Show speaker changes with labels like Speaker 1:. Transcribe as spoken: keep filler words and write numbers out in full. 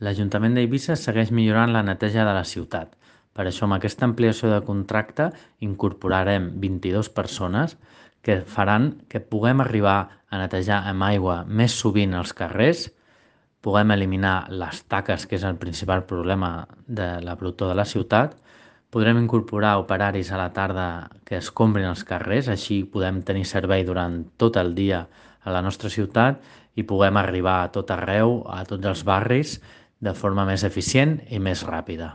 Speaker 1: L'Ajuntament d'Eivissa segueix millorant la neteja de la ciutat. Per això, amb aquesta ampliació de contracte, incorporarem vint-i-dues persones que faran que puguem arribar a netejar amb aigua més sovint els carrers, puguem eliminar les taques, que és el principal problema de la brutor de la ciutat, podrem incorporar operaris a la tarda que escombrin els carrers, així podem tenir servei durant tot el dia a la nostra ciutat i puguem arribar a tot arreu, a tots els barris, de forma més eficient i més ràpida.